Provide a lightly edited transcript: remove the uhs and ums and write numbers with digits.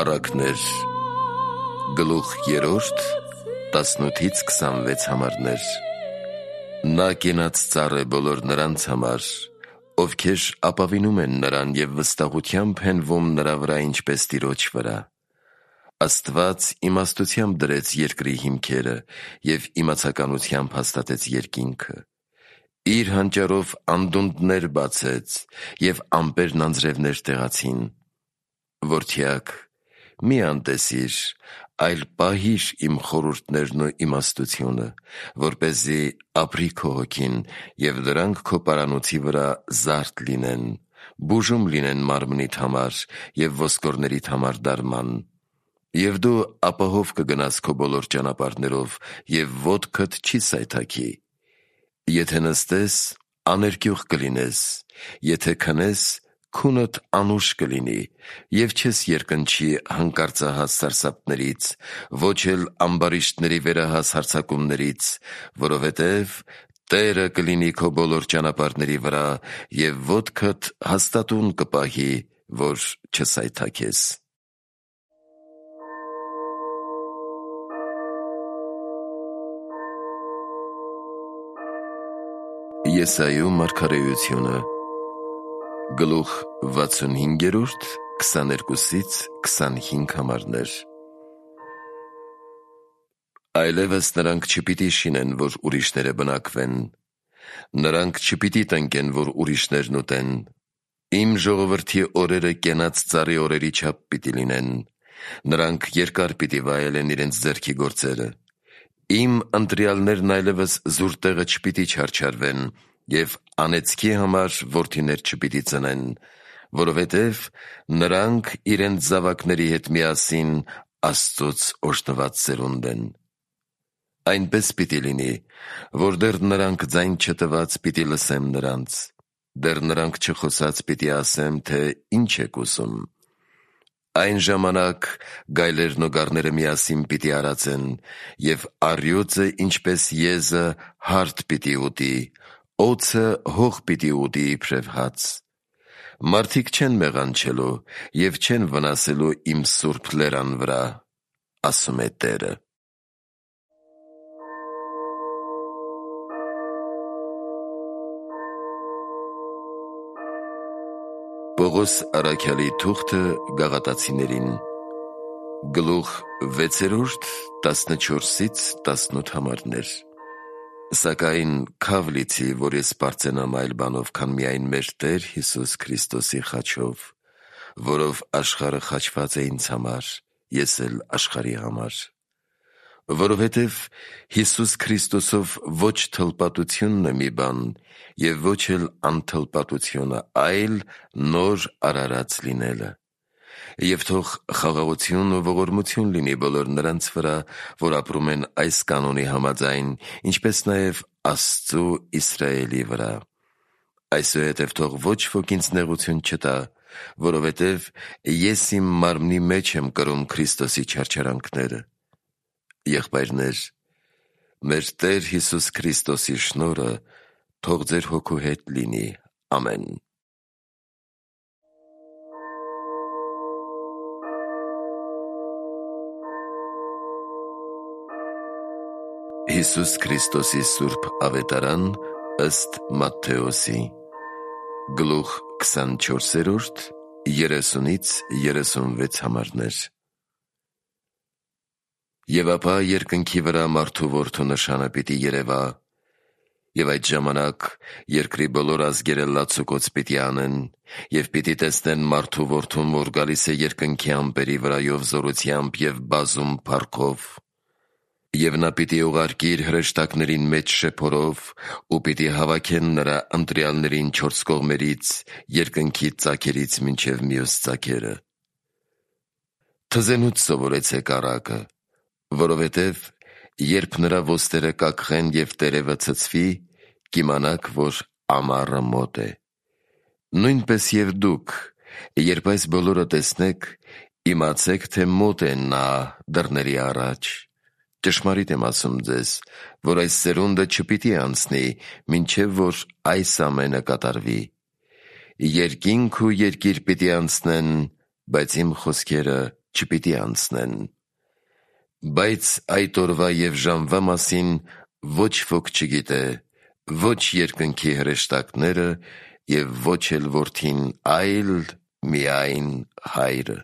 Առակներ գլուխ 3 18-26 համարներ Նա կենաց ծառ է բոլոր նրանց համար, ովքեր ապավինում են նրան և վստահությամբ հենվում նրա վրա ինչպես տիրոջ վրա։ Աստված իմաստությամբ դրեց երկրի հիմքերը և իմացականությամբ հաստատեց երկինքը։ Իր հանճարով անդունդներ բացեց և ամպերն անձրևներ տեղացին։ Որդյակ, մի անտեսիր, այլ պահիր իմ խորհուրդներն ու իմաստությունը, որպեսզի ապրի քո հոգին և դրանք քո պարանոցի վրա զարդ լինեն, բուժում լինեն մարմնիդ համար և ոսկորներիդ համար դարման։ Եվ դու ապահով կգնաս քո բոլոր ճանապարհներով և ոտքդ չի սայթաքի։ Եթե նստես, աներկյուղ կլինես, եթե քնես, քունդ անուշ կլինի, և չես երկնչի հանկարծահաս սարսափներից, ոչ էլ ամբարիշտների վերահաս հարձակումներից, որովհետև Տերը կլինի քո բոլոր ճանապարհների վրա և ոտքդ հաստատուն կպահի, որ չսայթաքես։ Եսայու մարգարեությունը գլուխ 65 22-25 համարներ Այլևս նրանք չպիտի շինեն, որ ուրիշները բնակվեն, նրանք չպիտի տնկեն, որ ուրիշներն ուտեն։ Իմ ժողովրդի օրերը կենաց ծառի օրերի չափ պիտի լինեն, նրանք երկար պիտի վայելեն իրենց ձեռքի գործերը։ Իմ ընտրյալներն այլևս զուր տեղը չպիտի չարչարվեն և անեծքի համար որդիներ չպիտի ծնեն, որովհետև նրանք իրենց զավակների հետ միասին Աստծուց օրհնված սերունդ են։ Այնպես պիտի լինի, որ դեռ նրանք ձայն չտված պիտի լսեմ նրանց, դեռ նրանք չխոսած պիտի ասեմ, թե ինչ եք ուզում։ Այն ժամանակ գայլերն ու գառները միասին պիտի արածեն, և առյուծը ինչպես եզը հարթ պիտի ուտի, օձը հող պիտի ուտի իբրև հաց։ Մարդիկ չեն մեղանչելու և չեն վնասելու իմ սուրբ լերան վրա, ասում է Տերը։ Պողոս առաքյալի թուղթը Գաղատացիներին գլուխ 6 14-18 համարներ Սակայն քավ լիցի, որ ես պարծենամ այլ բանով, քան միայն մեր Տեր Հիսուս Քրիստոսի խաչով, որով աշխարհը խաչված է ինձ համար, ես էլ աշխարհի համար։ Որովհետև Հիսուս Քրիստոսով ոչ թլպատությունն է մի բան, և ոչ էլ անթլպատությունը, այլ նոր արարած լինելը։ Եվ թող խաղաղություն ու ողորմություն լինի բոլոր նրանց վրա, որ ապրում են այս կանոնի համաձայն, ինչպես նաև Աստծու Իսրայելի վրա։ Այսուհետև թող ոչ ոք ինձ նեղություն չտա, որովհետև ես իմ մարմնի մեջ եմ կրում Քրիստոսի չարչարանքները։ Եղբայրներ, մեր Տեր Հիսուս Քրիստոսի շնորհը թող ձեր հոգու հետ լինի։ Ամեն։ Հիսուս Քրիստոսի սուրբ ավետարան ըստ Մատթեոսի գլուխ 24 30-36 համարներ Եվ ապա երկնքի վրա մարդու որդու նշանը պիտի երևա, և այդ ժամանակ երկրի բոլոր ազգերը լացուկոծ պիտի անեն, և պիտի տեսնեն մարդու որդուն, որ գալիս է երկնքի ամպերի վրայով զորությամբ և բազում փառքով, և նա պիտի ուղարկի իր հրեշտակներին մեջ շեփորով, ու պիտի հավաքեն նրա ընտրյալներին չորս կողմերից, երկնքի ծագերից մինչև մյուս ծագերը։ Թզենուց սովորեցեք առակը, որովհետև երբ նրա ոստերը կակղեն և տերևը ցցվի, կիմանաք, որ ամառը մոտ է։ Նույնպես և դուք, երբ այս բոլորը տեսնեք, իմացեք, թե մոտ է նա դռների առաջ։ Ճշմարիտ եմ ասում ձեզ, որ այս սերունդը չպիտի անցնի, մինչև որ այս ամենը կատարվի։ Երկինք ու երկիր պիտի անցնեն, բայց իմ խոսքերը չպիտի անցնեն։ Բայց այդ օրվա և ժամվա մասին ոչ ոք չգիտե, ոչ երկնքի հրեշտակները և ոչ էլ Որդին, այլ միայն Հայրը։